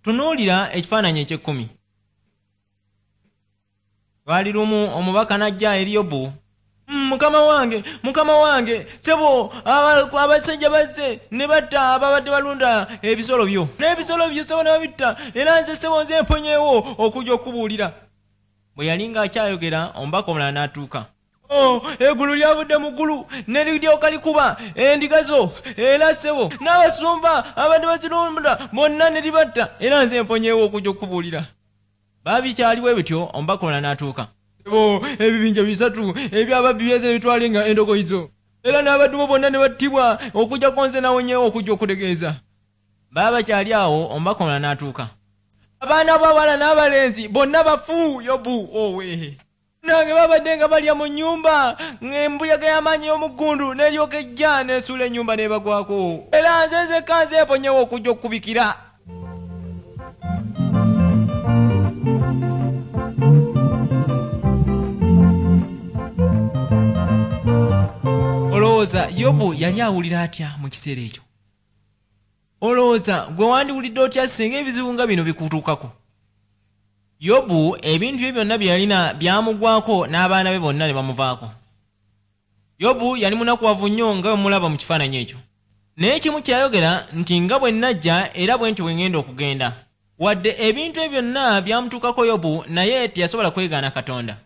Tunuulira ekifaananyi eky'ekkumi. Lwali lumu omubaka n'ajja eri Yobu. Mukama wange, mukama wange, ssebo, abasajja bazze ne batta ababadde balunda ebisolo byo. N'ebisolo byo ssebo ne babitta, era nze ssebo nze mponyeewo okujja okukubuulira. Bwe yali ng'akyayogera, omubaka omulala n'atuuka. Oh, eggulu lyavudde mu ggulu ne liryoka likuba endiga zo, era ssebo n'abasumba abadde bazirunda bonna ne libatta, era nze mponyeewo okujja okukubuulira. Babikyali bwe bityo, omubaka omulala n'atuuka. Ssebo, ebibinja 3 eby'ababbi byeze ne bitwala endogoyi zo, era n'abaddu bo bonna ne battibwa, okuggyako nze nawonyeewo okujja okutegeeza. Baba bakyali awo, omubaka omulala n'atuuka. Abaana b'abawala n'abalenzi bonna bafu, Yobu owe. Nange babadde nga balya mu nnyumba, ng'embuyaga y'amaanyi ey'omuggundu n'eryoka ejja n'esuula ennyumba n'ebagwako. Era nze nzekka nze mponyeewo okujja okukubikira. Olowooza Yobu yali awulira atya mu kiseera ekyo? Olowooza gwe wandiwulidde otya singa ebizibu nga bino bikutuukako? Yobu ebintu bye byonna bye yalina byamugwako n'abaana be bonna ne bamuvaako. Yobu yali munakuwavu nnyo nga bwe mulaba mu kifaananyi ekyo. Naye kimu kye yayogera nti nga bwe nnajja era bwe ntyo bwe ŋŋenda okugenda. Wadde ebintu ebyo byonna byamutuukako Yobu naye teyasobola kwegaana Katonda.